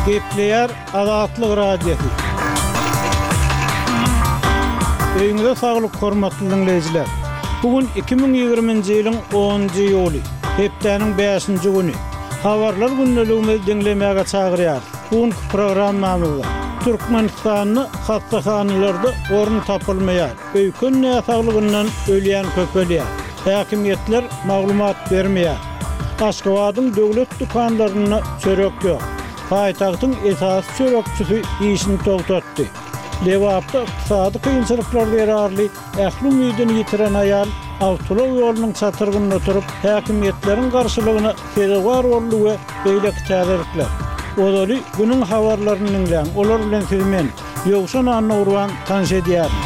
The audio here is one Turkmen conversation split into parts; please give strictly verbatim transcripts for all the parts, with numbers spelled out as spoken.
Gepleýär Azatlyk Radiosy. Öýüňize saglyk hormatly diňleýjiler. Bu gün iki müň ýigriminji ýylyň onunjy iýuly, hepdäniň bäşinji güni. Habarlar gündeligimizi diňlemäge çagyrýarys. Bu günki programmamyzda Türkmenistanda hassahanalarda orun tapylmaýar, öýken näsaglygyndan ölýän köpelýär, häkimiýetler maglumat bermeýär. Aşgabadyň döwlet dükanlarynda çörek ýok. Paýtagtyň esasy çörekçisi işini togtatdy. Lebapda ykdysady kynçylyklar zerarly ähli umydyny ýitiren aýal awtoulag ýolunyň çatrygynda oturyp, häkimiýetleriň garşylygyna sezewar boldy we beýleki täzelikler. Ozaly günüň habarlaryny diňläň, olar bilen sizi men, Ýowşan Annagurban tanyş edýärin.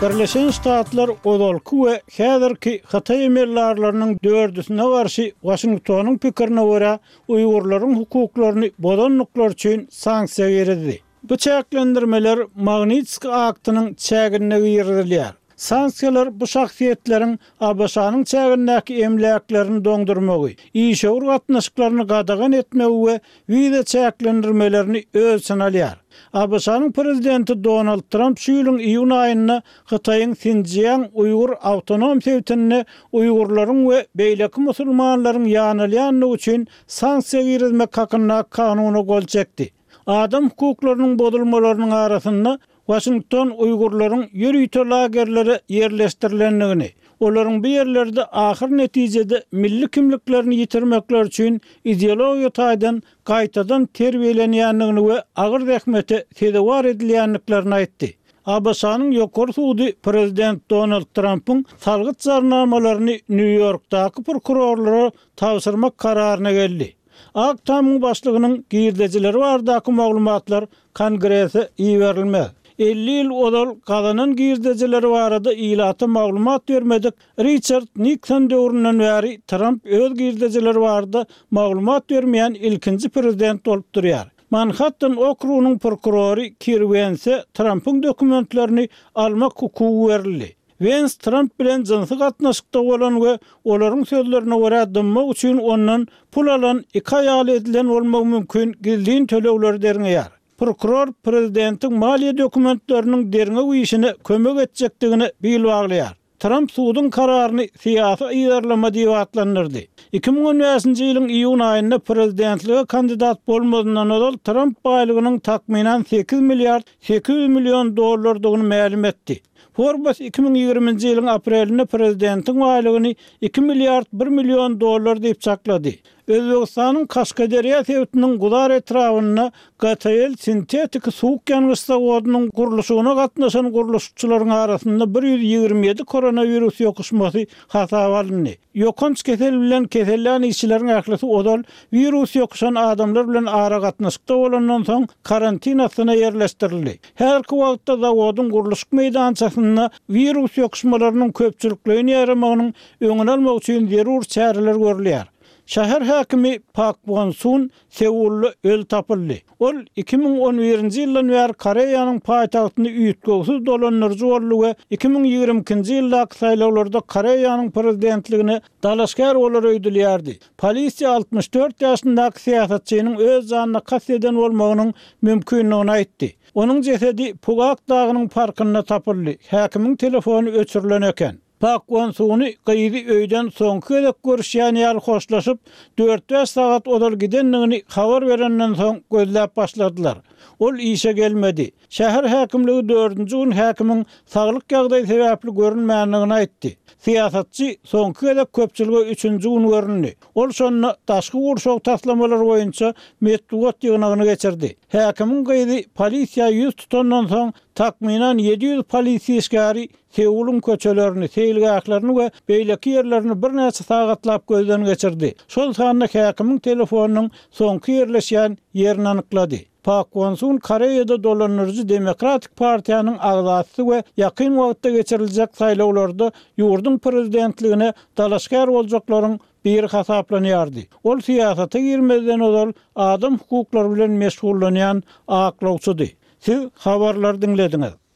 Birleşen Ştatlar ozalky we häzirki hytaý emeldarlarynyň dördüsine garşy Waşingtonyň pikirine görä, uýgurlaryň hukuklaryny bozandyklary üçin sanksiýa girizdi. Bu çäklendirmeler Magnitskiý aktynyň çäginde girizilýär. Sanksiýalar bu şahsyýetleriň ABŞ-nyň çägindäki emläklerini doňdurmagy, işewür gatnaşyklaryny gadagan etmegi we wiza çäklendirmelerini öz içine alýar. ABŞ-nyň prezidenti Donald Tramp şu ýylyň iýun aýynda Hytaýyň Sinjiang uýgur awtonom sebitinde uýgurlaryň we beýleki musulmanlaryň ýanalýandygy üçin sanksiýa girizmek hakyndaky kanuna gol çekdi. Adam hukuklarynyň bozulmalarynyň arasynda Waşington uýgurlaryň ýörite lagerlere ýerleşdirilendigini, olaryň bu ýerlerde ahyr netijede milli kimliklerini ýitirmekleri üçin ideologiýa taýdan gaýtadan terbiýelenýändigini we agyr zähmete sezewar edilýändiklerini aýtdy. ABŞ-nyň Ýokary sudy prezident Donald Trampyň salgyt jarnamalaryny Nýu-Ýorkdaky prokurorlara tabşyrmak kararyna geldi. Ak Tamyň başlygynyň girdejileri baradaky maglumatlar Kongrese iberilmez. Elli ýyl ozal gazanan girdejileri barada ilata maglumat bermedik Riçard Nikson döwründen bäri Tramp öz girdejileri barada maglumat bermeýän ilkinji prezident bolup durýar. Manhattan okrugynyň prokurory Kir Wense Trampyň dokumentlerini almak hukugy berildi. Wens Tramp bilen jynsy gatnaşykda bolan we olaryň sözlerine görä dymmak üçin ondan pul alan iki aýaly edilen bolmagy mümkin gizlin tölegleri derňeýär. Prokuror prezidentiň maliýe dokumentleriniň derňew işine kömek etjekdigine bil baglaýar. Tramp suduň kararyny syýasy yzarlama diýip atlandyrdy. Iki müň on bäşinji ýylyň iýun aýynda prezidentlige kandidat bolmazyndan ozal Tramp baýlygynyň takmynan sekiz milliard sekiz ýüz million dollardygyny mälim etdi. Forbes iki müň ýigriminji ýylyň aprelinde prezidentiň baýlygyny iki milliard bir million dollar diýip çaklady. Özbegistanyň Kaşgaderýa sebitiniň Guzar etrabynda G T L sintetiki suwuk ýangyç zawodynyň gurluşygyna gatnaşan gurluşykçylaryň arasynda bir ýüz ýigrimi ýedi koronawirus ýokuşmasy hasaba alyndy. Ýokanç kesel bilen kesellän işçileriň ählisi ozal wirus ýokuşan adamlar bilen aragatnaşykda bolandan soň karantin astyna ýerleşdirildi. Häzirki wagtda zawodyň gurluşyk meýdançasynda wirus ýokuşmalarynyň köpçülikleýin ýaýramagynyň öňüni almak üçin zerur çäreler görülýär. Şäher häkimi Pak Won Sun Seulda öl tapyldy. Ol iki müň on birinji ýyldan bäri Koreýanyň paýtagtyny üýtgewsiz dolandyryjy boldy we iki müň ýigrimi ikinji ýyldaky saýlawlarda Koreýanyň prezidentligine dalaşgär bolar öýdülýärdi. Polisiýa altmyş dört ýaşyndaky syýasatçynyň öz janyna kast eden bolmagynyň mümkindigini aýtdy. Onuň jesedi Pugak dagynyň parkynda tapyldy. Häkimiň telefony öçürilen eken. Pak Won Suny gyzy öýden soňky gezek görüşýän ýaly hoşlaşyp, dört-bäş sagat ozal gidendigini habar berenden soň gözläp başladylar. Ol işe gelmedi. Şäher häkimligi dördünji gün häkimiň saglyk ýagdaýy sebäpli görünmändigini aýtdy. Syýasatçy soňky gezek köpçülige üçünji gün göründi. Ol şonda daşky gurşaw taslamalary boýunça metbugat ýygnagyny geçirdi. Häkimiň gyzy polisiýa ýüz tutandan soň takmynan ýedi ýüz polisiýa işgäri Seulyň köçelerini, seýilgählerini we beýleki ýerlerini birnäçe sagatlap gözden geçirdi. Şol sanda häkimiň telefonynyň soňky ýerleşýän ýerini anyklady. Pak Won Sun Koreýada dolandyryjy Demokratik partiýanyň agzasy we ýakyn wagtda geçiriljek saýlawlarda ýurduň prezidentligine dalaşgär boljaklaryň biri hasaplanýardy. Ol syýasata girmezden ozal adam hukuklary bilen meşgullanýan aklawçydy. Siz habarlary diňlediňiz.